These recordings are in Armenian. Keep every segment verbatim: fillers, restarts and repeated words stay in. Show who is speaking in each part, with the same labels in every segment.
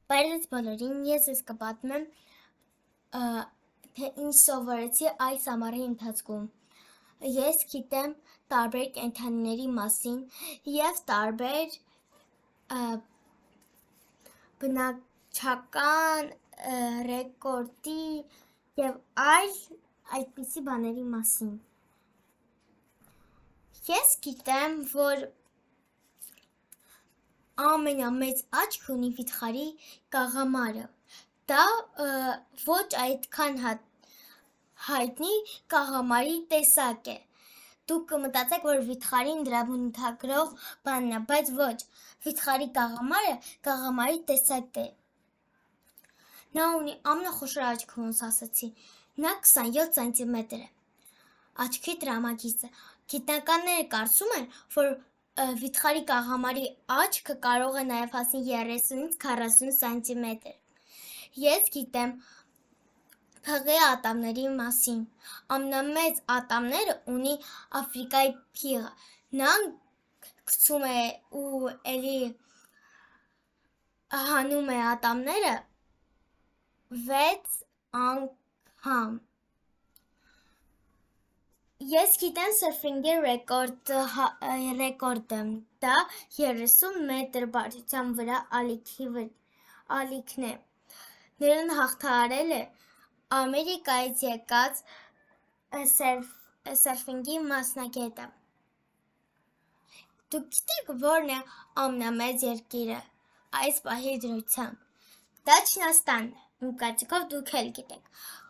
Speaker 1: Բարև բոլորին, ես ես կպատմեմ թե ինչ սովորեցի այս ամառի ընթացքում։ Ես գիտեմ տարբեր կենդանիների մասին և տարբեր բնաչական ռեկորդի և այլ այդպիսի բաների մասին։ Ես գիտեմ, որ ամենամեծ աչք ունի վիթխարի կաղամարը, դա ոչ այդքան հայտնի կաղամարի տեսակ է, դուք կմտածեք, որ վիթխարին դրա բնութագրող բանն է, բայց ոչ, վիթխարի կաղամարը կաղամարի տեսակ է, նա ունի ամենախոշոր աչքը, ոնց ասացի, նա քսանյոթ սանտիմետր է, աչքի տրամագիծը, գիտնականները կարծում են, որ վիթխարի կաղամարի աչքը կարող է նաև հասնել երեսունից քառասուն սանտիմետր։ Ես գիտեմ փղի ատամների մասին, ամենամեծ ատամները ունի Աֆրիկայի փիղը, նա գցում է ու էլի հանում է ատամները վեց անգամ։ Ես գիտեմ սըրֆինգի ռեկորդը, դա երեսուն մետր բարձրության վրա ալիքն է, նրան հաղթահարել է Ամերիկայից եկած սըրֆինգի մասնագետը։ Դուք գիտեք որն է ամենամեծ երկիրը այս պահի դրությամբ, դա Չինաստանն է, իմ կարծիքով դուք էլ գիտեք,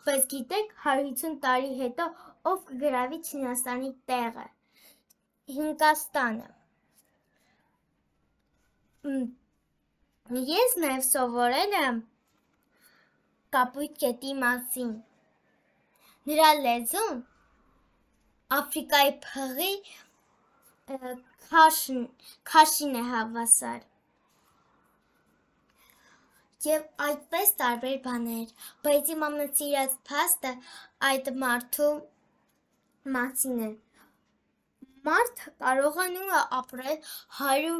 Speaker 1: բայց գիտեք հարյուր հիսուն տարի հետո ով կգրավի Չինաստանի տեղը, Հինկաստանը։ Ես նաև սովորել եմ կապույտ գետի մասին, նրա լեզուն Աֆրիկայի փղի քաշին է հավասար և այդպես տարբեր բաներ, բայց իմ ամենասիրած փաստը այդ մարդու մասին է, մարդը կարողանում է ապրել հարյուր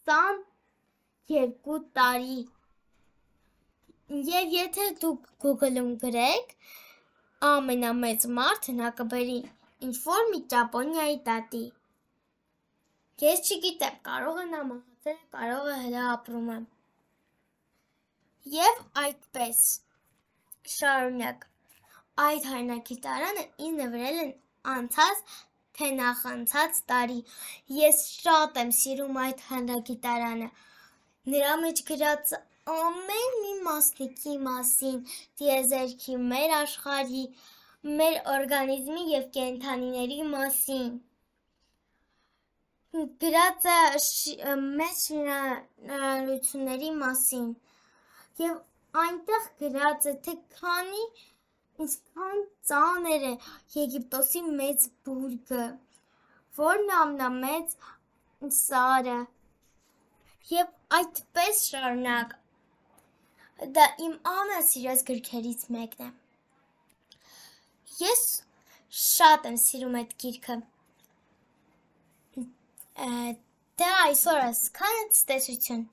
Speaker 1: քսաներկու տարի և եթե դուք Google-ում գրեք ամենամեծ մարդը, նա կբերի ինչ-որ մի Ճապոնիայի տատի, ես չգիտեմ, կարող է նա մահացել է, կարող է հլը ապրում է։ Եվ այդպես շարունակ, այդ հայրենագիտարանը ինձ նվիրել են անցած թե նախանցած տարի, ես շատ եմ սիրում այդ հայրենագիտարանը, նրա մեջ գրած ամեն մի մասնիկի մասին, տիեզերքի, մեր աշխարհի, մեր օրգանիզմի և կենդանիների մասին, գրած է մեծ շինարարությունների մասին և այնտեղ գրած է, թե քանի ինչքան ծանր է Եգիպտոսի մեծ բուրգը, որն է ամենամեծ սարը և այդպես շարունակ, դա իմ ամենասիրած գրքերից մեկն է, ես շատ եմ սիրում այդ գիրքը, դե այսօր այսքանը, ցտեսություն։